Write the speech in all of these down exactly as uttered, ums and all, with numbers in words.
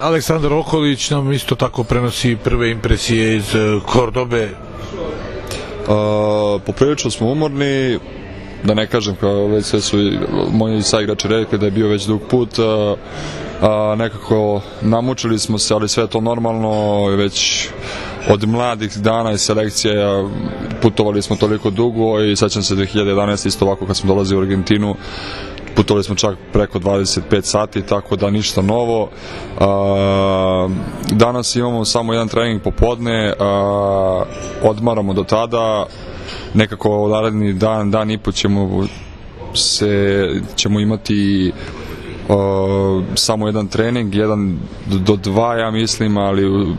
Aleksandar Okolić nam isto tako prenosi prve impresije iz Kordobe. Poprilično smo umorni, da ne kažem, kao već sve su moji saigrači rekli da je bio već dug put, a, nekako namučili smo se, ali sve je to normalno, već od mladih dana i selekcija putovali smo toliko dugo i sećam se dve hiljade jedanaeste isto ovako kad smo dolazili u Argentinu, putovali smo čak preko dvadeset pet sati, tako da ništa novo. A, danas imamo samo jedan trening popodne, a, odmaramo do tada, nekako naredni dan, dan i po ćemo se, ćemo imati uh, samo jedan trening, jedan do dva ja mislim, ali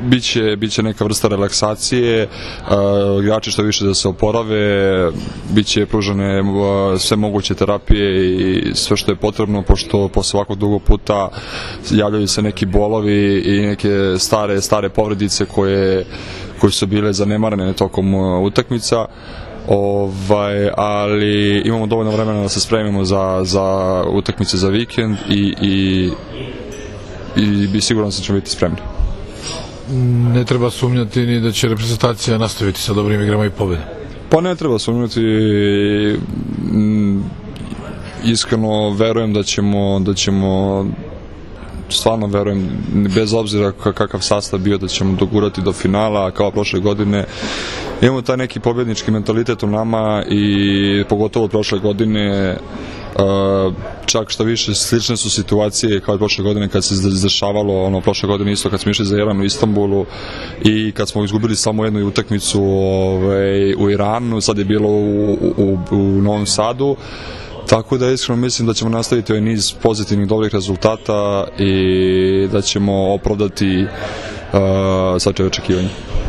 biće, biće neka vrsta relaksacije, uh, igrači što više da se oporave, biće pružene uh, sve moguće terapije i sve što je potrebno, pošto posle ovako dugo puta javljaju se neki bolovi i neke stare, stare povredice koje koje su bile zanemarene tokom uh, utakmica, ovaj, ali imamo dovoljno vremena da se spremimo za, za utakmice za vikend i, i, i, i sigurno se ćemo biti spremni. Ne treba sumnjati ni da će reprezentacija nastaviti sa dobrim igrama i pobedom. Pa ne treba sumnjati, iskreno verujem da ćemo, da ćemo stvarno verujem, bez obzira kakav sastav bio, da ćemo dogurati do finala kao prošle godine. Imamo taj neki pobjednički mentalitet u nama i pogotovo od prošle godine, čak što više slične su situacije kao i prošle godine kad se izdešavalo, ono prošle godine isto kad smo išli za Iran u Istanbulu i kad smo izgubili samo jednu utakmicu ovaj, u Iranu, sad je bilo u, u, u Novom Sadu. Tako da iskreno mislim da ćemo nastaviti ovaj niz pozitivnih dobrih rezultata i da ćemo opravdati uh, svačije očekivanje.